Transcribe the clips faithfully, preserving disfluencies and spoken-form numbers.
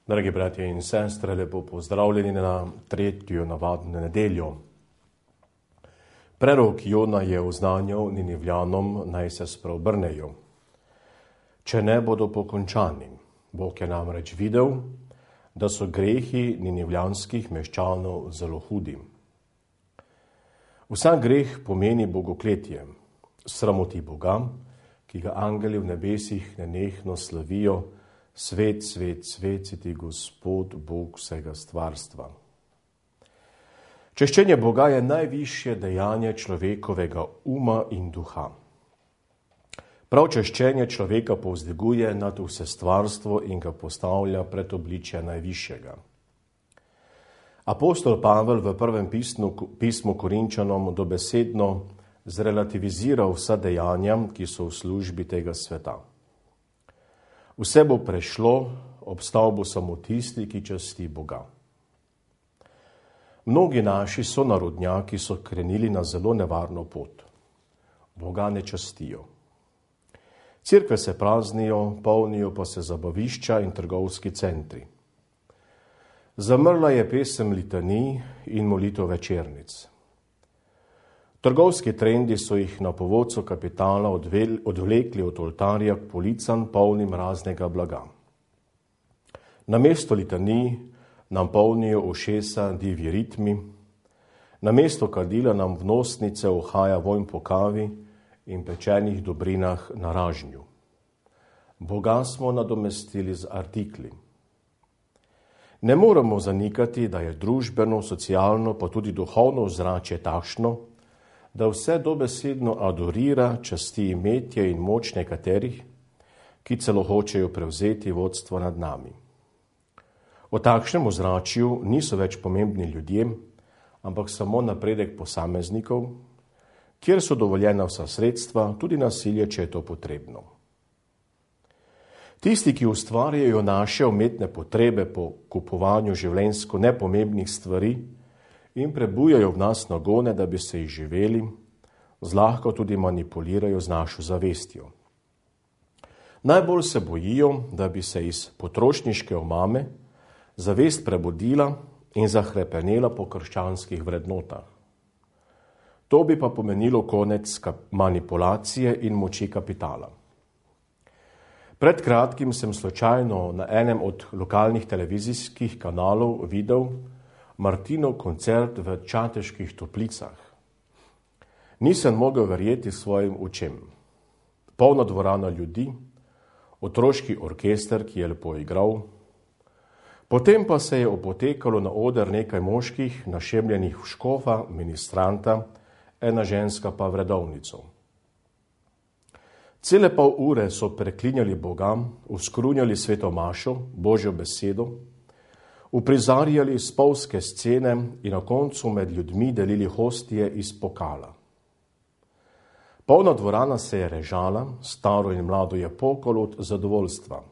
Dragi bratje in sestre, lepo pozdravljeni na tretjo navadno nedeljo. Prerok Jona je oznanjal Ninivljanom, naj se spreobrnejo, če ne bodo pokončani. Bog je namreč videl, da so grehi ninivljanskih meščanov zelo hudi. Vsak greh pomeni bogokletje, sramoti Boga, ki ga angeli v nebesih nenehno slavijo: Svet, svet, svet si ti Gospod, Bog vsega stvarstva. Češčenje Boga je najvišje dejanje človekovega uma in duha. Prav češčenje človeka povzdiguje nad vse stvarstvo in ga postavlja pred obličje najvišjega. Apostol Pavel v prvem pismu, pismu Korinčanom dobesedno zrelativizira vsa dejanja, ki so v službi tega sveta. Vse bo prešlo, obstal bo samo tisti, ki časti Boga. Mnogi naši sonarodnjaki so krenili na zelo nevarno pot. Boga ne častijo. Cerkve se praznijo, polnijo pa se zabavišča in trgovski centri. Zamrla je pesem litanij in molitev večernic. Trgovski trendi so jih na povodcu kapitala odvlekli od oltarja k policam polnim raznega blaga. Namesto litanij nam polnijo ušesa divji ritmi, namesto kadila nam v nosnice uhaja vonj po kavi in pečenih dobrinah na ražnju. Boga smo nadomestili z artikli. Ne moremo zanikati, da je družbeno, socialno pa tudi duhovno ozračje takšno, da vse dobesedno adorira časti imetje in moč nekaterih, ki celo hočejo prevzeti vodstvo nad nami. O takšnem ozračju niso več pomembni ljudje, ampak samo napredek posameznikov, kjer so dovoljena vsa sredstva, tudi nasilje, če je to potrebno. Tisti, ki ustvarjajo naše umetne potrebe po kupovanju življenjsko nepomembnih stvari in prebujajo v nas nagone, da bi se jih živeli, zlahka tudi manipulirajo z našo zavestjo. Najbolj se bojijo, da bi se iz potrošniške omame zavest prebudila in zahrepenela po krščanskih vrednotah. To bi pa pomenilo konec manipulacije in moči kapitala. Pred kratkim sem slučajno na enem od lokalnih televizijskih kanalov videl Martinov koncert v Čateških Toplicah. Nisem mogel verjeti svojim očem. Polna dvorana ljudi, otroški orkester, ki je lepo igral. Potem pa se je opotekalo na oder nekaj moških, našemljenih v škofa, ministranta, ena ženska pa v redovnico. Cele pol ure so preklinjali Boga, uskrunjali sveto mašo, Božjo besedo, uprizarjali spolske scene in na koncu med ljudmi delili hostije iz pokala. Polna dvorana se je režala, staro in mlado je pokalo od zadovoljstva.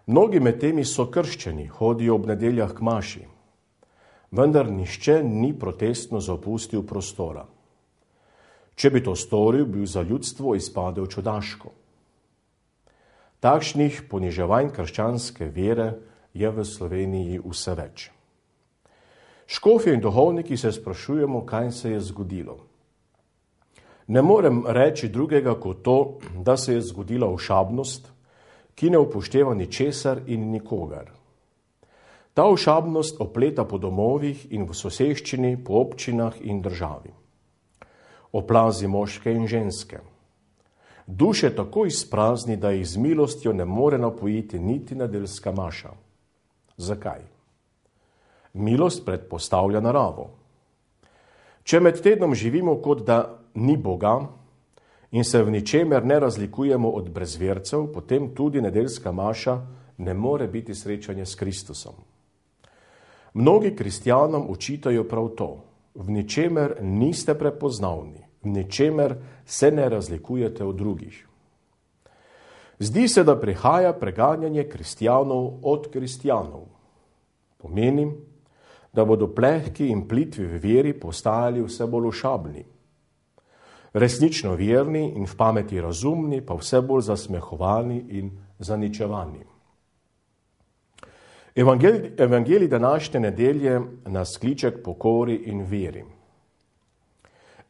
Mnogi med temi so krščeni, hodijo ob nedeljah k maši, vendar nihče ni protestno zapustil prostora. Če bi to storil, bi za ljudstvo izpadel čudaško. Takšnih poniževanj krščanske vere je v Sloveniji vse več. Škofje in duhovniki se sprašujemo, kaj se je zgodilo. Ne morem reči drugega kot to, da se je zgodila ošabnost, ki ne upošteva ničesar in nikogar. Ta ošabnost opleta po domovih in v soseščini, po občinah in državi. Oplazi moške in ženske. Duše tako izprazni, da jih z milostjo ne more napojiti niti nedeljska maša. Zakaj? Milost predpostavlja naravo. Če med tednom živimo, kot da ni Boga in se v ničemer ne razlikujemo od brezvercev, potem tudi nedeljska maša ne more biti srečanje s Kristusom. Mnogi kristjanom učitajo prav to. V ničemer niste prepoznavni, v ničemer se ne razlikujete od drugih. Zdi se, da prihaja preganjanje kristjanov od kristjanov. Pomeni, da bodo plehki in plitvi v veri postajali vse bolj ošabni. Resnično verni in v pameti razumni, pa vse bolj zasmehovani in zaničevani. Evangelij, evangelij današnje nedelje nas kliče k pokori in veri.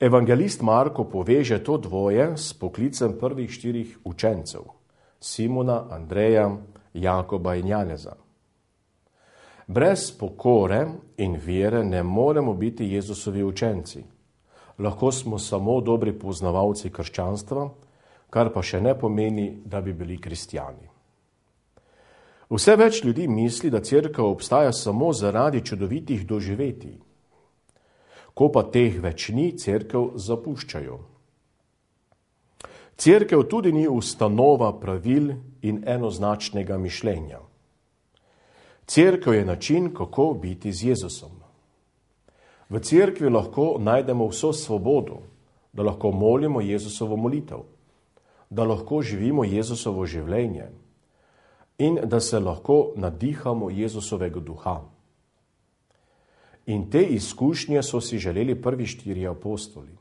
Evangelist Marko poveže to dvoje s poklicem prvih štirih učencev, Simona, Andreja, Jakoba in Janeza. Brez pokore in vere ne moremo biti Jezusovi učenci. Lahko smo samo dobri poznavalci krščanstva, kar pa še ne pomeni, da bi bili kristjani. Vse več ljudi misli, da cerkev obstaja samo zaradi čudovitih doživetij. Ko pa teh več ni, cerkev zapuščajo. Cerkev tudi ni ustanova pravil in enoznačnega mišljenja. Cerkev je način, kako biti z Jezusom. V cerkvi lahko najdemo vso svobodo, da lahko molimo Jezusovo molitev, da lahko živimo Jezusovo življenje in da se lahko nadihamo Jezusovega duha. In te izkušnje so si želeli prvi štiri apostoli.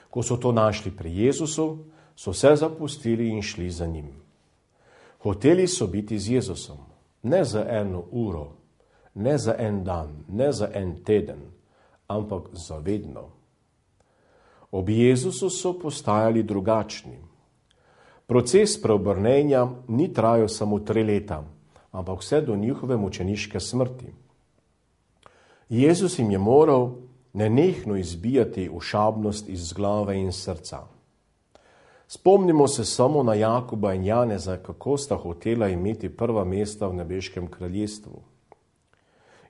Ko so to našli pri Jezusu, so se zapustili in šli za njim. Hoteli so biti z Jezusom, ne za eno uro, ne za en dan, ne za en teden, ampak za vedno. Ob Jezusu so postajali drugačni. Proces preobrnenja ni trajal samo tri leta, ampak vse do njihove mučeniške smrti. Jezus jim je moral nenehno izbijati ošabnost iz glave in srca. Spomnimo se samo na Jakoba in Janeza, kako sta hotela imeti prva mesta v nebeškem kraljestvu.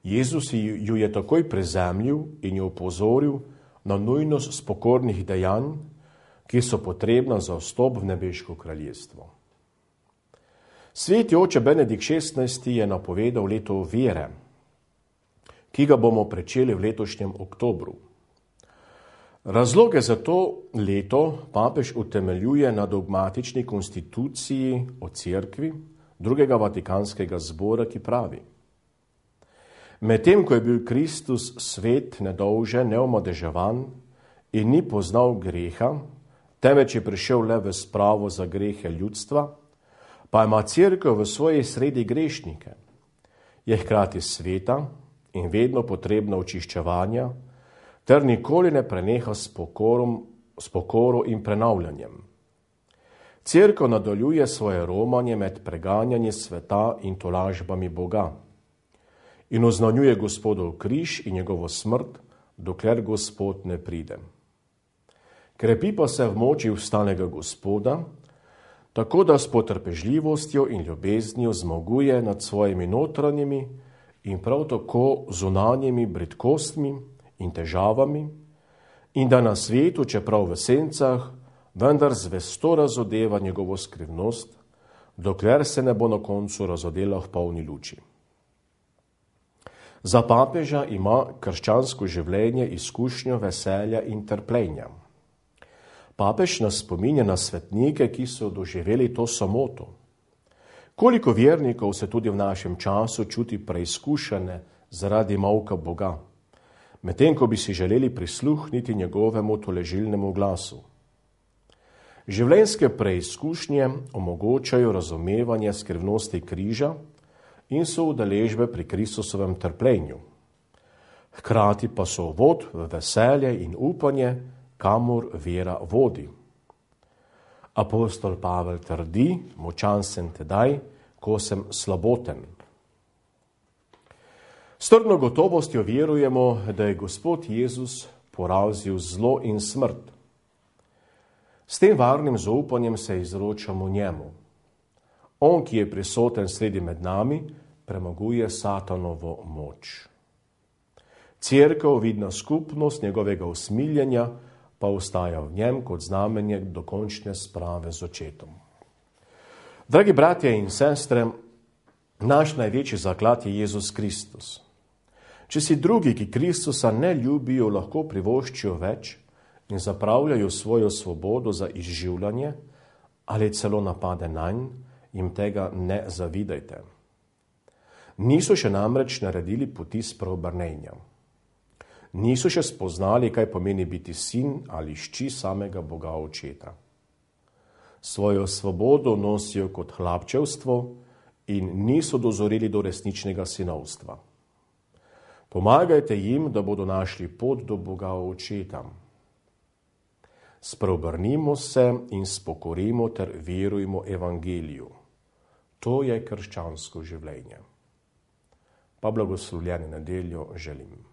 Jezus ju je takoj prezemljil in jo opozoril na nujnost spokornih dejanj, ki so potrebna za vstop v nebeško kraljestvo. Sveti oče Benedikt šestnajsti je napovedal leto vere, ki ga bomo pričeli v letošnjem oktobru. Razloge za to leto papež utemeljuje na dogmatični konstituciji o cerkvi drugega vatikanskega zbora, ki pravi: medtem ko je bil Kristus svet nedolžen, neomadeževan in ni poznal greha, temveč je prišel le v spravo za grehe ljudstva, pa ima cerkev v svoji sredi grešnike, je hkrati sveta in vedno potrebna očiščevanja, ter nikoli ne preneha s pokorom, s pokoro in prenavljanjem. Cerkev nadaljuje svoje romanje med preganjanje sveta in tolažbami Boga in oznanjuje Gospodov križ in njegovo smrt, dokler Gospod ne pride. Krepi pa se v moči vstanega Gospoda, tako da s potrpežljivostjo in ljubeznijo zmaguje nad svojimi notranjimi in prav tako zunanjimi bridkostmi in težavami, in da na svetu, čeprav v sencah, vendar zvesto razodeva njegovo skrivnost, dokler se ne bo na koncu razodela v polni luči. Za papeža ima krščansko življenje izkušnjo veselja in trpljenja. Papež nas spominja na svetnike, ki so doživeli to samoto. Koliko vernikov se tudi v našem času čuti preizkušene zaradi molka Boga, medtem ko bi si želeli prisluhniti njegovemu toležilnemu glasu. Življenjske preizkušnje omogočajo razumevanje skrivnosti križa in so udeležbe pri Kristusovem trpljenju. Hkrati pa so vod v veselje in upanje, kamor vera vodi. Apostol Pavel trdi: močan sem tedaj, ko sem slaboten. S trdno gotovostjo verujemo, da je Gospod Jezus porazil zlo in smrt. S tem varnim zaupanjem se izročamo njemu. On, ki je prisoten sredi med nami, premaguje satanovo moč. Cerkev, vidna skupnost njegovega usmiljenja, pa ostaja v njem kot znamenje dokončne sprave z očetom. Dragi bratje in sestre, naš največji zaklad je Jezus Kristus. Če si drugi, ki Kristusa ne ljubijo, lahko privoščijo več in zapravljajo svojo svobodo za izživljanje ali celo napade nanj, jim tega ne zavidajte. Niso še namreč naredili poti spreobrnenja. Niso še spoznali, kaj pomeni biti sin ali hči samega Boga Očeta. Svojo svobodo nosijo kot hlapčevstvo in niso dozoreli do resničnega sinovstva. Pomagajte jim, da bodo našli pot do Boga Očeta. Spreobrnimo se in spokorimo ter verujmo evangeliju. To je krščansko življenje. Pa blagoslovljeno nedeljo želim.